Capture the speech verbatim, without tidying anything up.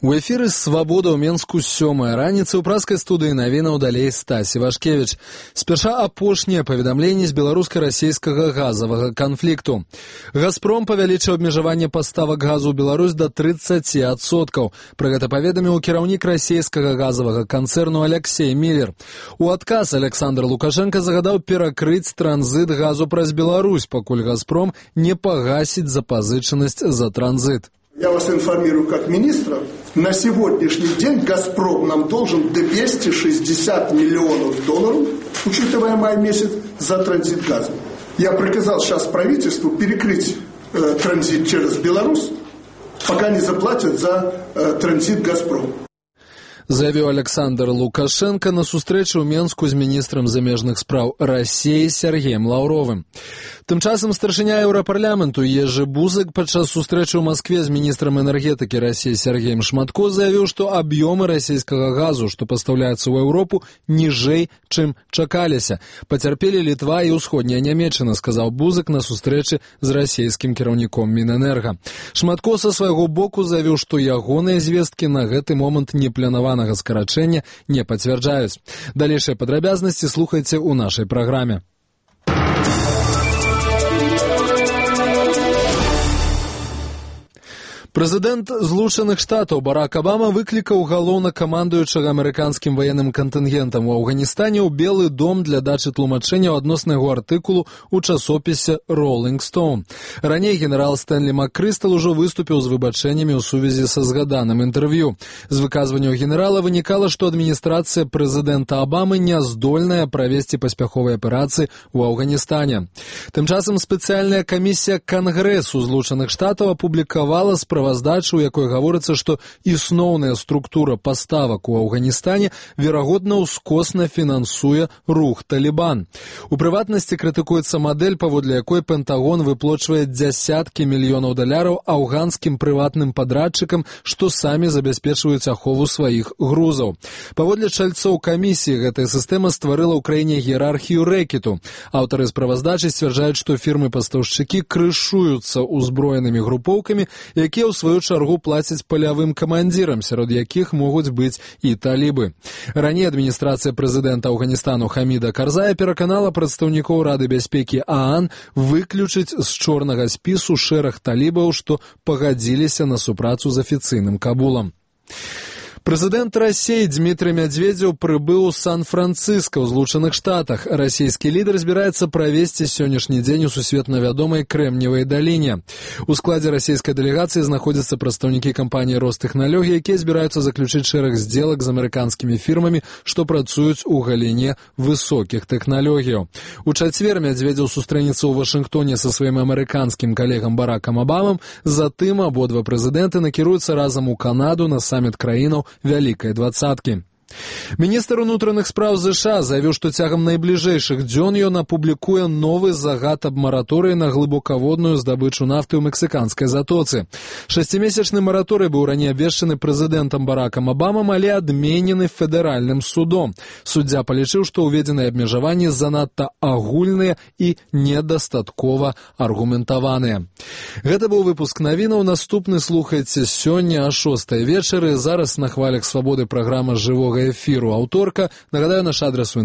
У эфіры «Свабода» ў Менску сёмая раніца. У праскай студыі навінаў далей Стась Івашкевіч. Спярша апошнія паведамленні з беларуска-расейскага газавага канфлікту. «Газпром» павялічыў абмежаванне паставак газу ў Беларусь да трыццаці адсоткаў. Пра гэта паведаміў кіраўнік расейскага газавага канцэрну Алексей Миллер. У адказ Александр Лукашенко загадаў перакрыць транзит газу праз Беларусь, пакуль «Газпром» не пагасіць запазычанасць за транзит. Я вас информирую как министра, на сегодняшний день «Газпром» нам должен двести шестьдесят миллионов долларов, учитывая май месяц, за транзит газа. Я приказал сейчас правительству перекрыть э, транзит через Беларусь, пока не заплатят за э, транзит «Газпром». Заявіў Александр Лукашенко на сустрэчы ў Менску з міністрам замежных спраў Расіі Сергеем Лаўровым. Тым часам старшыня Еўрапарламенту Ежы Бузык падчас сустрэчы ў Маскве з міністрам энергетыкі Расіі Сергеем Шматко заявіў, што аб'ёмы расійскага газу, што пастаўляецца ў Еўропу, ніжэй, чым чакаліся. Пацярпелі Літва і ўсходняя Нямецчына, сказаў Бузык на сустрэчы з расійскім кіраўніком Мінэнерга. Шматко са свайго боку заявіў, што ягоныя звесткі на гэты момант не планаванага скарачэння не пацвярджаюць. Далейшыя падрабязнасці слухайце ў нашай праграме. Прэзідэнт Злучаных Штатаў Барак Абама выклікаў галоўнакамандуючага амерыканскім ваенным кантынгентам у Афганістане ў Белы дом для дачы тлумачэнняў адносна яго артыкулу ў часопісе «Rolling Stone». Раней генерал Стэнлі Маккрыстал ужо выступіў з выбачэннямі ў сувязі са згаданым інтэрв'ю. З выказванняў генерала вынікала, што адміністрацыя прэзідэнта Абамы не здольная правесці паспяховыя аперацыі ў Афганістане. Тым часам спецыяльная камісія Кангрэсу Злучаных Штатаў апублікавала справу справаздачу, у якой гаворыцца, што існоўная структура паставак у Афганістане верагодна ўскосна фінансуе рух «Талібан». У прыватнасці крытыкуецца мадэль, паводле якой Пентагон выплочвае дзясяткі мільёнаў даляраў афганскім прыватным падрадчыкам, што самі забяспечваюць ахову сваіх грузаў. Паводле чальцоў камісіі, гэтая сістэма стварыла ў краіне іерархію рэкету. Аўтары справаздачы сцвярджаюць, што фірмы-пастаўшчыкі крышуюцца ўзброенымі групоўкамі, якія ў сваю чаргу плацяць палявым камандзірам, сярод якіх могуць быць і талібы. Раней адміністрацыя прэзідэнта Афганістану Хаміда Карзая пераканала прадстаўнікоў Рады бяспекі ААН выключыць з чорнага спісу шэраг талібаў, што пагадзіліся на супрацу з афіцыйным Кабулам. Прэзідэнт Расіі Дмітрый Мядзведзеў прыбыў у Сан-Францыска ў Злучаных Штатах. Расійскі лідар збіраецца правесці сённяшні дзень у сусветна вядомай Крэмневай даліне. У складзе расійскай дэлегацыі знаходзяцца прадстаўнікі кампаніі «Ростэхналогіі», якія збіраюцца заключыць шэраг здзелак з амерыканскімі фірмамі, што працуюць у галіне высокіх тэхналогіяў. У чацвер Мядзведзеў сустрэнецца ў Вашынгтоне са сваім амерыканскім калегам Баракам Абамам, затым абодва прэзідэнты накіруюцца разам у Канаду на саміт краінаў Вялікай двадцаткі. Міністр унутраных спраў ЗША заявіў, што цягам найбліжэйшых дзён ён апублікуе новы загад аб мараторыі на глыбокаводную здабычу нафты ў мексіканскай затоцы. Шасцімесячны мараторый быў раней абвешчаны прэзідэнтам Баракам Абамам, але адменены федэральным судом. Суддзя палічыў, што ўведзеныя абмежаванні занадта агульныя і недастаткова аргументаваныя. Гэта быў выпуск навінаў. Наступны слухайце сёння о шостай вечары. Зараз на хвалях свабоды праграма жывога эфіру аўторка. Нагадаю, наш адрес у